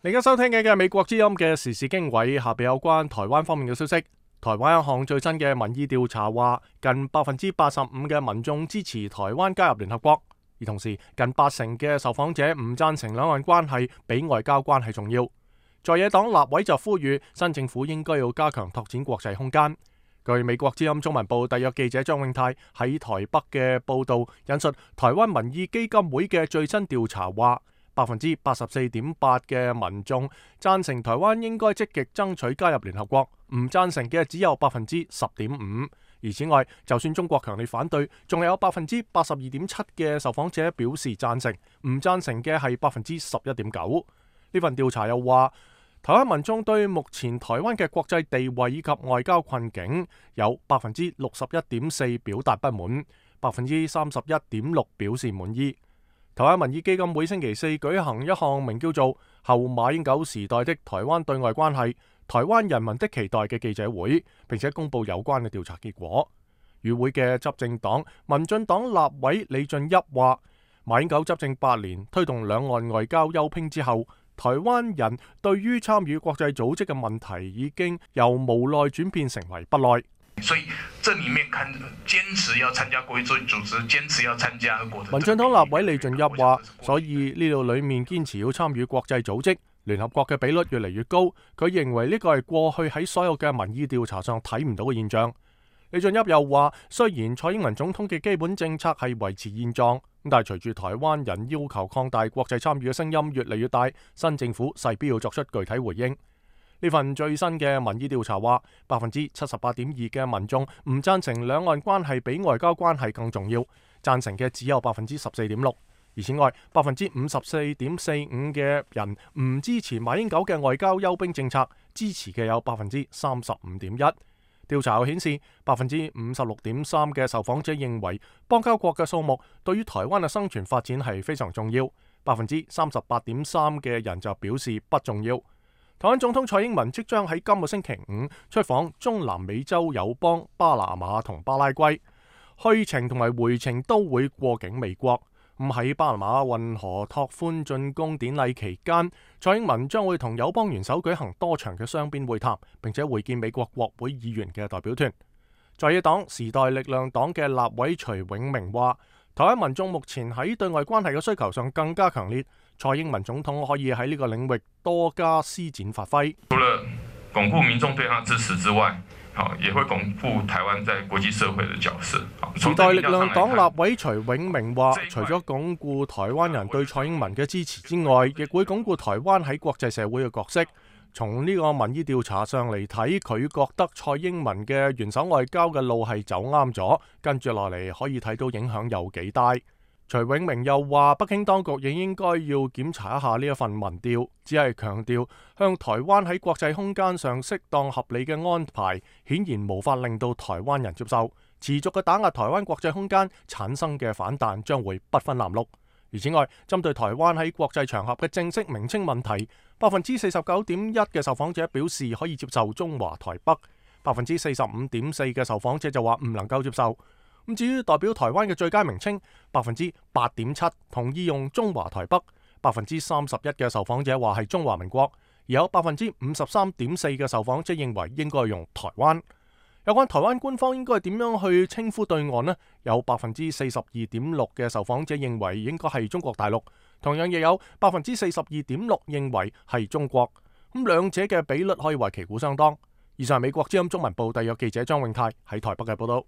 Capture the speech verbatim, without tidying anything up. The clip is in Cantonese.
你而家收聽嘅係美國之音嘅時事經緯，下邊有關台灣方面嘅消息。台灣一項最新嘅民意調查話，近百分之八十五嘅民眾支持台灣加入聯合國，而同時近八成嘅受訪者唔贊成兩岸關係比外交關係重要。在野黨立委就呼籲新政府應該要加強拓展國際空間。據美國之音中文部特約記者張永泰喺台北嘅報導，引述台灣民意基金會嘅最新調查話，百分之八十四點八嘅民眾贊成台灣應該積極爭取加入聯合國，唔贊成嘅只有百分之十點五。而此外，就算中國強烈反對，仲有百分之八十二點七嘅受訪者表示贊成，唔贊成嘅係百分之十一點九。呢份調查又話，台灣民眾對目前台灣嘅國際地位以及外交困境有百分之六十一點四表達不滿，百分之三十一點六表示滿意。台灣民意基金會星期四舉行一項名叫做《後馬英九時代的台灣對外關係：台灣人民的期待》嘅記者會，並且公布有關嘅調查結果。與會嘅執政黨民進黨立委李俊俋話，馬英九執政八年，推動兩岸外交休兵之後，台灣人對於參與國際組織嘅問題已經由無奈轉變成為不耐。所以，這裡面看堅持要參加國際組織，堅持要參加國。民進黨立委李俊俋話，所以呢度裡面堅持要參與國際組織，聯合國嘅比率越嚟越高。佢認為呢個係過去喺所有嘅民意調查上睇唔到嘅現象。李俊俋又話，雖然蔡英文總統嘅基本政策係維持現狀，但係隨住台灣人要求擴大國際參與嘅聲音越嚟越大，新政府勢必要作出具體回應。呢份最新嘅民意調查話，百分之七十八點二嘅民眾唔贊成兩岸關係比外交關係更重要，贊成嘅只有百分之十四點六。而此外，百分之五十四點四五嘅人唔支持馬英九嘅外交休兵政策，支持嘅有百分之三十五點一。調查又顯示，百分之五十六點三嘅受訪者認為邦交國嘅數目對於台灣嘅生存發展係非常重要，百分之三十八點三嘅人就表示不重要。台灣總統蔡英文即將喺今個星期五出訪中南美洲友邦巴拿馬同巴拉圭，去程同埋回程都會過境美國。咁喺巴拿馬運河拓寬進攻典禮期間，蔡英文將會同友邦元首舉行多場嘅雙邊會談，並且會見美國國會議員嘅代表團。在野黨時代力量黨嘅立委徐永明話，台灣民眾目前喺對外關係嘅需求上更加強烈，蔡英文總統可以喺呢個領域多加施展發揮。除了鞏固民眾對他支持之外，也會鞏固台灣在國際社會嘅角色。時代力量黨立委徐永明話，除咗鞏固台灣人對蔡英文嘅支持之外，亦會鞏固台灣喺國際社會嘅角色。從呢個民意調查上嚟睇，佢覺得蔡英文嘅元首外交嘅路係走啱咗，跟住落嚟可以睇到影響有幾大。徐永明又話，北京當局亦應該要檢查一下呢一份民調，只係強調向台灣喺國際空間上適當合理嘅安排，顯然無法令到台灣人接受。持續嘅打壓台灣國際空間產生嘅反彈將會不分藍綠。而此外，針對台灣喺國際場合嘅正式名稱問題，百分之四十九點一嘅受訪者表示可以接受中華台北，百分之四十五點四嘅受訪者就話唔能夠接受。咁至於代表台灣嘅最佳名稱，百分之八點七同意用中華台北，百分之三十一嘅受訪者話係中華民國，而有百分之五十三點四嘅受訪者認為應該用台灣。有關台灣官方應該點樣去稱呼對岸呢？有百分之四十二點六嘅受訪者認為應該係中國大陸，同樣亦有百分之四十二點六認為係中國。咁兩者嘅比率可以話旗鼓相當。以上係美國之音中文部特約記者張永泰喺台北嘅報道。